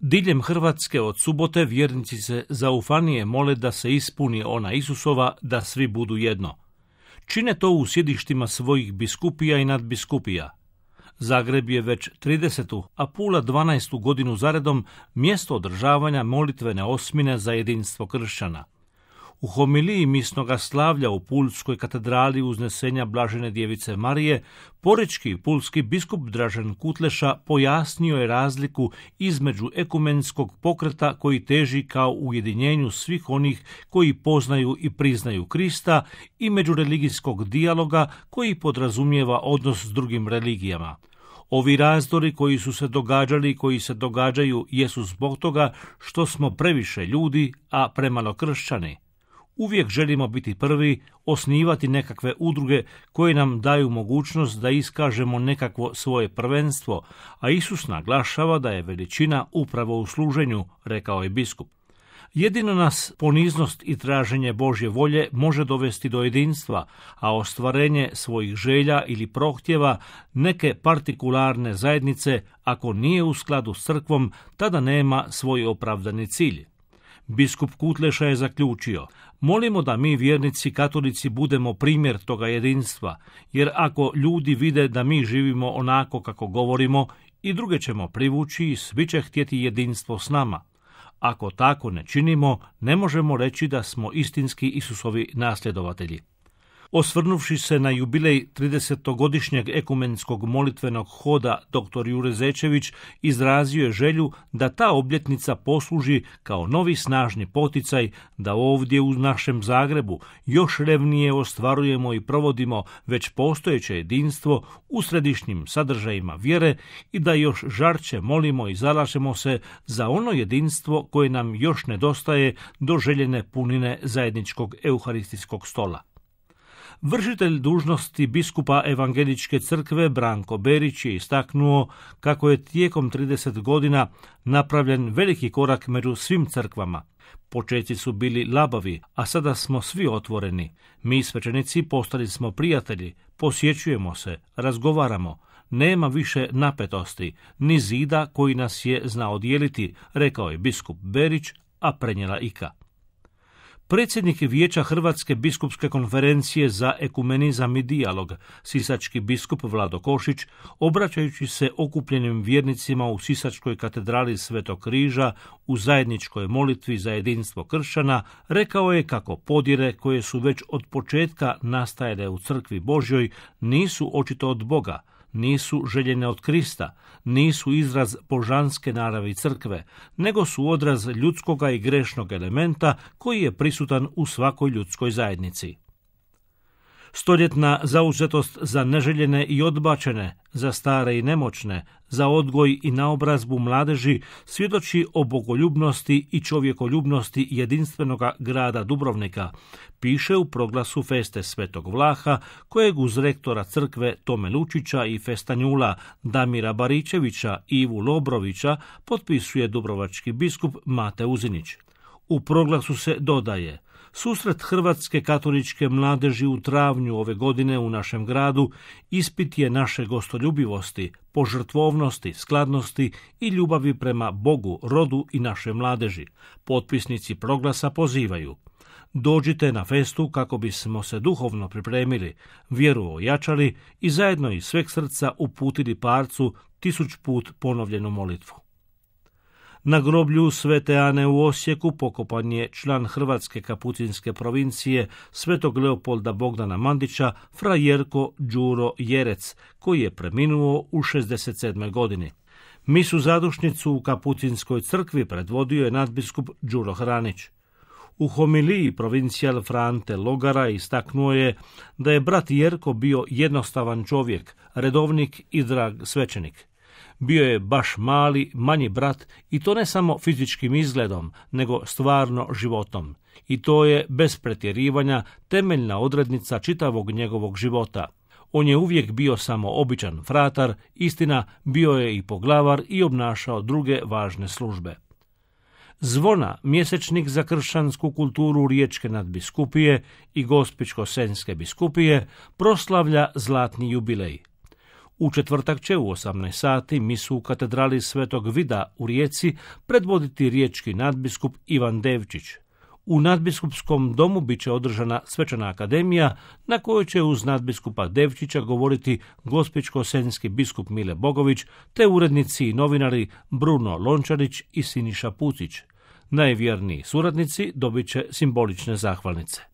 Diljem Hrvatske od subote vjernici se zaufanije mole da se ispuni ona Isusova da svi budu jedno. Čine to u sjedištima svojih biskupija i nadbiskupija. Zagreb je već 30. a Pula 12. godinu zaredom mjesto održavanja molitvene osmine za jedinstvo kršćana. U homiliji misnoga slavlja u Pulskoj katedrali Uznesenja Blažene djevice Marije, porečki i pulski biskup Dražen Kutleša pojasnio je razliku između ekumenskog pokreta koji teži kao ujedinjenju svih onih koji poznaju i priznaju Krista i međureligijskog dijaloga koji podrazumijeva odnos s drugim religijama. Ovi razdori koji su se događali i koji se događaju jesu zbog toga što smo previše ljudi, a premalo kršćani. Uvijek želimo biti prvi, osnivati nekakve udruge koje nam daju mogućnost da iskažemo nekakvo svoje prvenstvo, a Isus naglašava da je veličina upravo u služenju, rekao je biskup. Jedino nas poniznost i traženje Božje volje može dovesti do jedinstva, a ostvarenje svojih želja ili prohtjeva neke partikularne zajednice, ako nije u skladu s crkvom, tada nema svoj opravdani cilj. Biskup Kutleša je zaključio: molimo da mi vjernici katolici budemo primjer toga jedinstva, jer ako ljudi vide da mi živimo onako kako govorimo, i druge ćemo privući i svi će htjeti jedinstvo s nama. Ako tako ne činimo, ne možemo reći da smo istinski Isusovi nasljedovatelji. Osvrnuvši se na jubilej 30-godišnjeg ekumenskog molitvenog hoda, dr. Jure Zečević izrazio je želju da ta obljetnica posluži kao novi snažni poticaj da ovdje u našem Zagrebu još revnije ostvarujemo i provodimo već postojeće jedinstvo u središnjim sadržajima vjere i da još žarče molimo i zalažemo se za ono jedinstvo koje nam još nedostaje do željene punine zajedničkog euharistijskog stola. Vršitelj dužnosti biskupa Evangeličke crkve Branko Berić je istaknuo kako je tijekom 30 godina napravljen veliki korak među svim crkvama. Počeci su bili labavi, a sada smo svi otvoreni. Mi svećenici postali smo prijatelji, posjećujemo se, razgovaramo. Nema više napetosti, ni zida koji nas je znao dijeliti, rekao je biskup Berić, a prenijela Ika. Predsjednik Vijeća Hrvatske biskupske konferencije za ekumenizam i dijalog, sisački biskup Vlado Košić, obraćajući se okupljenim vjernicima u Sisačkoj katedrali Svetog Križa u zajedničkoj molitvi za jedinstvo kršćana, rekao je kako podjele koje su već od početka nastajale u crkvi Božjoj nisu očito od Boga, nisu željene od Krista, nisu izraz božanske naravi crkve, nego su odraz ljudskoga i grešnog elementa koji je prisutan u svakoj ljudskoj zajednici. Stoljetna zauzetost za neželjene i odbačene, za stare i nemoćne, za odgoj i naobrazbu mladeži svjedoči o bogoljubnosti i čovjekoljubnosti jedinstvenoga grada Dubrovnika, piše u proglasu feste Svetog Vlaha, kojeg uz rektora crkve Tome Lučića i festanjula Damira Baričevića i Ivu Lobrovića potpisuje dubrovački biskup Mate Uzinić. U proglasu se dodaje: susret hrvatske katoličke mladeži u travnju ove godine u našem gradu ispit je naše gostoljubivosti, požrtvovnosti, skladnosti i ljubavi prema Bogu, rodu i naše mladeži. Potpisnici proglasa pozivaju: dođite na festu kako bismo se duhovno pripremili, vjeru ojačali i zajedno iz sveg srca uputili parcu 1000 put ponovljenu molitvu. Na groblju Svete Ane u Osijeku pokopan je član Hrvatske kapucinske provincije Svetog Leopolda Bogdana Mandića, fra Jerko Đuro Jerec, koji je preminuo u 67. godini. Misu zadušnicu u kapucinskoj crkvi predvodio je nadbiskup Đuro Hranić. U homiliji provincijal Frante Logara istaknuo je da je brat Jerko bio jednostavan čovjek, redovnik i drag svećenik. Bio je baš mali, manji brat i to ne samo fizičkim izgledom, nego stvarno životom. I to je, bez pretjerivanja, temeljna odrednica čitavog njegovog života. On je uvijek bio samo običan fratar, istina, bio je i poglavar i obnašao druge važne službe. Zvona, mjesečnik za kršćansku kulturu Riječke nadbiskupije i Gospićko-senjske biskupije, proslavlja zlatni jubilej. U četvrtak će u 18 sati misu u katedrali Svetog Vida u Rijeci predvoditi riječki nadbiskup Ivan Devčić. U nadbiskupskom domu bit će održana svečana akademija na kojoj će uz nadbiskupa Devčića govoriti gospićko-senjski biskup Mile Bogović te urednici i novinari Bruno Lončarić i Siniša Pucić. Najvjerniji suradnici dobit će simbolične zahvalnice.